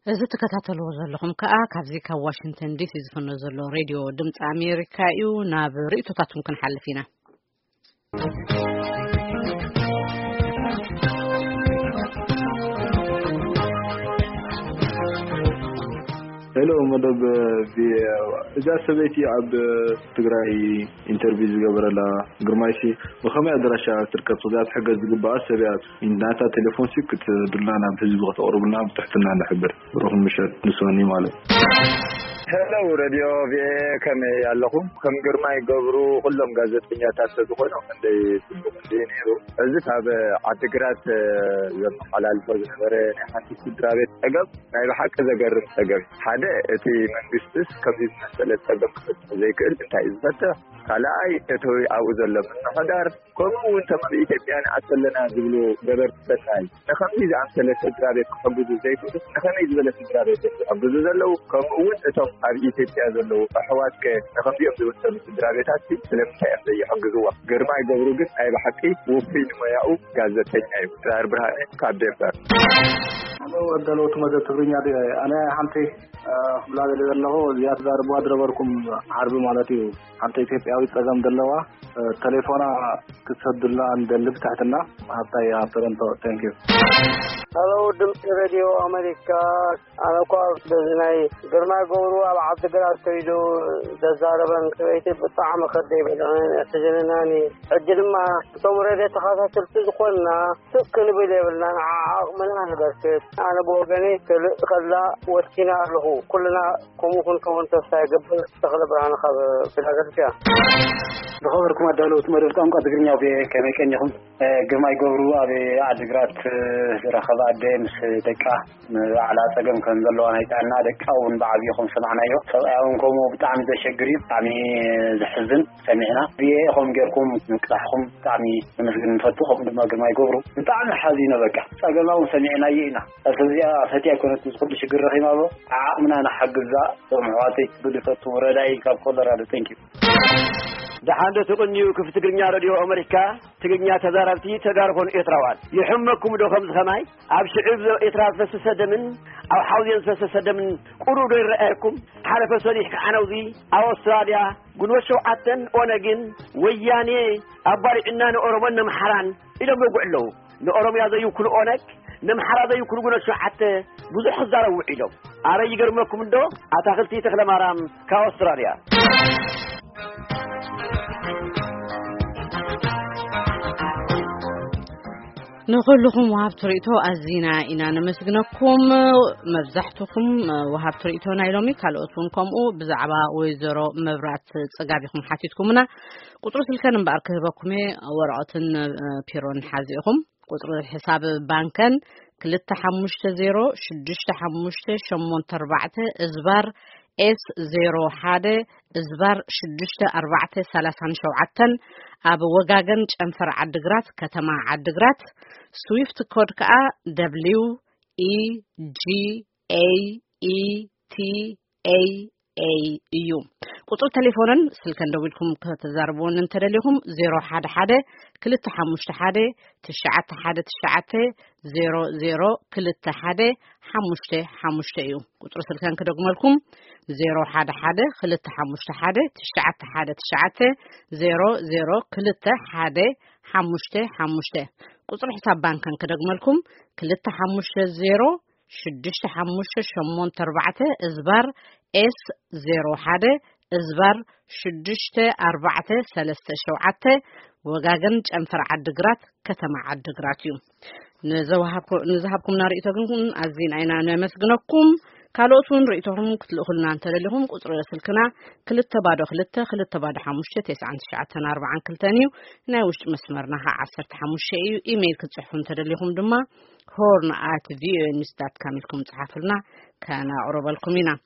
እዚ ትከታተልዎ ዘለኹም ከኣ ካብዚ ካብ ዋሽንግተን ዲሲ ዝፍኖ ዘሎ ሬድዮ ድምፂ ኣሜሪካ እዩ። ናብ ርእይቶታትኩም ክንሓልፍ ኢና። ሄሎ፣ መደብ ቪኦኤ። እዛ ሰበይቲ ኣብ ትግራይ ኢንተርቪው ዝገበረላ ግርማይሲ፣ ብኸመይ ኣድራሻ ትርከብ? እዛ ትሕገዝ ዝግባኣ ሰብ እያ። ናታ ቴሌፎን ሲ ክትህብና ናብ ህዝቢ ከተቕርቡልና ብትሕትና ንሕብር። ብሩኽ ምሸት ንሶኒ ማለት። ሄሎ፣ ሬድዮ ቪኦኤ፣ ከመይ ኣለኹም? ከም ግርማይ ገብሩ ኩሎም ጋዜጠኛታት ተዝኾኑ ክንደይ ጽቡቕ እንዲዩ ነይሩ። እዚ ካብ ዓዲግራት ዘመሓላልፎ ዝነበረ ናይ ሓንቲ ስድራ ቤት ጸገም ናይ ብሓቂ ዘገርም ጸገም። ሓደ፣ እቲ መንግስትስ ከምዚ ዝመሰለ ጸገም ክፈትሕ ዘይክእል እንታይ እዩ ዝፈትሕ? ካልኣይ፣ እቲ ኣብኡ ዘሎ ምምሕዳር፣ ከምኡ እውን እቶም ኣብ ኢትዮጵያ ንኣት ኣለና ዝብሉ ገበርቲ ሰናይ ንከምዚ ዝኣምሰለ ስድራ ቤት ክሕግዙ ዘይክእሉ፣ ንኸመይ ዝበለ ስድራ ቤት እዮም ዝሕግዙ ዘለዉ? ከምኡ እውን እቶም ኣብ ኢትዮጵያ ዘለዉ ኣሕዋትከ ንከምዚኦም ዝመሰሉ ስድራ ቤታት ስለምንታይ እዮም ዘይሕግዝዎም? ግርማይ ገብሩ ግን ናይ ብሓቂ ውፉይ ንሞያኡ ጋዜጠኛ እዩ። ድራር ብርሃነ ካብ ዴንቨር። ኣነ ወደለውቲ መደብ ትግርኛ ድየ? ኣነ ሓንቲ፣ እ፣ ክብላ ደልየ ዘለኹ፣ እዚኣ ትዛረብዋ ዝነበርኩም ዓርቢ ማለት እዩ። ሓንቲ ኢትዮጵያዊት ጸገም ዘለዋ፣ እ፣ ቴሌፎና ክትሰዱልና እንደሊ ብትሕትና። ሃብታይ ኣብ ቶሮንቶ። Thank you። ሄሎ፣ ድምፂ ሬድዮ ኣሜሪካ። ኣነ እኳ በዚ ናይ ግርማይ ገብሩ ኣብ ዓዲግራት ከይዱ ዘዛረበን ሰበይቲ ብጣዕሚ ከደይ በልዕን የሕዝንናን እዩ። ሕጂ ድማ እቶም ሬድዮ ተኸታተልቲ ዝኾንና ስቕ ክንብል የብልናን፣ ዓዓቕምና ንበርክት። ኣነ ብወገነይ ክልእ ከላ ወሲነ ኣለኹ። ኩልና ከምኡ ክንከውን ተስፋ ይገብር። ተኽለ ብርሃን ካብ ፊላደልፊያ። ዝኸበርኩም ኣዳለውቲ መደብ ቋንቋ ትግርኛ ቪኦኤ፣ ከመይ ቀኒኹም? እ፣ ግርማይ ገብሩ ኣብ ዓዲግራት፣ እ፣ ዝረኸበ ኣደ ምስ ደቃ ንባዕላ ጸገም ከም ዘለዋ ናይ ጥዕና፣ ደቃ እውን ብዓብዩ ከም ሰማዕናዮ፣ ሰብኣያ እውን ከምኡ ብጣዕሚ ዘሸግር እዩ። ብጣዕሚ ዘሕዝን ሰሚዕና። ቪኦኤ ከም ጌርኩም ምቅላሕኩም ብጣዕሚ ነመስግን ንፈቱ። ከምኡ ድማ ግርማይ ገብሩ ብጣዕሚ ሓዚነ። በቃ ጸገማ እውን ሰሚዕናዮ ኢና። እዚኣ ፈትያ ኣይኮነትን፣ እዚ ኩሉ ሽግር ረኺማ ኣሎ። ዓቕምና ንሓግዛ። እቶም ኣሕዋተይ ክብል ይፈቱ። ረዳኢ ካብ ኮሎራዶ። Thank you። ደሓን ዶ ትቕንዩ? ክፍቲ ትግርኛ ሬድዮ ኣመሪካ፣ ትግርኛ ተዛረብቲ ተጋሩ ኮኑ ኤርትራውያን። ይሕመኩም ዶ ከምዚ ከማይ? ኣብ ሽዑብ ኤርትራ ዝፈሰሰ ደምን ኣብ ሓውዜን ዝፈሰሰ ደምን ቁሩብ ዶ ይረኣየኩም? ሓለፈ ሰኒሕ ከዓነውዚ ኣብ ኣውስትራልያ ጉንበት ሸውዓተን ኦነግን ወያኔ ኣባሪዕና ንኦሮሞን ነምሓራን ኢሎም ይወግዑ ኣለዉ። ንኦሮምያ ዘይውክሉ ኦነግ፣ ነምሓራ ዘይውክሉ ጉንበት ሸውዓተ ብዙሕ ክዛረቡ ውዒሎም። ኣረ ይገርመኩም እንዶ ኣታኽልቲ ተኽለማርያም ካብ ኣውስትራልያ። ንኹልኹም ወሃብቲ ርእይቶ ኣዚና ኢና ነመስግነኩም። መብዛሕትኹም፣ እ፣ ወሃብቲ ርእይቶ ናይ ሎሚ፣ ካልኦት እውን ከምኡ፣ ብዛዕባ ወይዘሮ መብራት ጽጋብ ኢኹም ሓቲትኩምና። ቁጽሪ ስልከን እምበኣር ክህበኩም እየ፣ ወረቐትን፣ እ፣ ፒሮን ሓዚ ኢኹም። ቁጽሪ ሕሳብ ባንከን ክልተ ሓሙሽተ ዜሮ ሽዱሽተ ሓሙሽተ ሸሞንተ ኣርባዕተ እዝባር ኤስ ዜሮ ሓደ እዝባር ሽዱሽተ ኣርባዕተ ሰላሳን ሸውዓተን፣ ኣብ ወጋገን ጨንፈር ዓድግራት፣ ከተማ ዓድግራት። ስዊፍት ኮድ ከኣ ደብሊው ኢ ጂ ኤ ኢ ቲ ኤ ኤ እዩ። ቁጽሪ ቴሌፎንን ስልከን ደዊልኩም ከተዛርብዎን እንተደሊኹም፣ ዜሮ ሓደ ሓደ ክልተ ሓሙሽተ ሓደ ትሽዓተ ሓደ ትሽዓተ ዜሮ ዜሮ ክልተ ሓደ ሓሙሽተ ሓሙሽተ እዩ። ቁጽሪ ስልከን ክደግመልኩም፣ ዜሮ ሓደ ሓደ ክልተ ሓሙሽተ ሓደ ትሽዓተ ሓደ ትሽዓተ ዜሮ ዜሮ ክልተ ሓደ ሓሙሽተ ሓሙሽተ። ቁጽሪ ሕሳብ ባንከን ክደግመልኩም፣ ክልተ ሓሙሽተ ዜሮ ሽዱሽተ ሓሙሽተ ሸሞንተ ኣርባዕተ እዝባር ኤስ ዜሮ ሓደ እዝባር ሽዱሽተ ኣርባዕተ ሰለስተ ሸውዓተ፣ ወጋገን ጨንፈር ዓድግራት፣ ከተማ ዓድግራት እዩ። ንዘወሃብኩ-፣ ንዝሃብኩምና ርእይቶ ግን ኣዚና ኢና ነመስግነኩም። ካልኦት እውን ርእይቶኹም ክትልእኹልና እንተደሊኹም፣ ቁጽሪ ስልክና ክልተ ባዶ ክልተ፣ ክልተ ባዶ ሓሙሽተ፣ ተስዓን ትሽዓተን ኣርባዓን ክልተን እዩ። ናይ ውሽጢ መስመርና ኸዓ ዓሰርተ ሓሙሽተ እዩ። ኢሜይል ክትጽሕፉ እንተደሊኹም ድማ ሆርን ኣት ቪኦኤ ኒውስ ዳት ካም ኢልኩም ጽሓፉልና፣ ከነቕርበልኩም ኢና።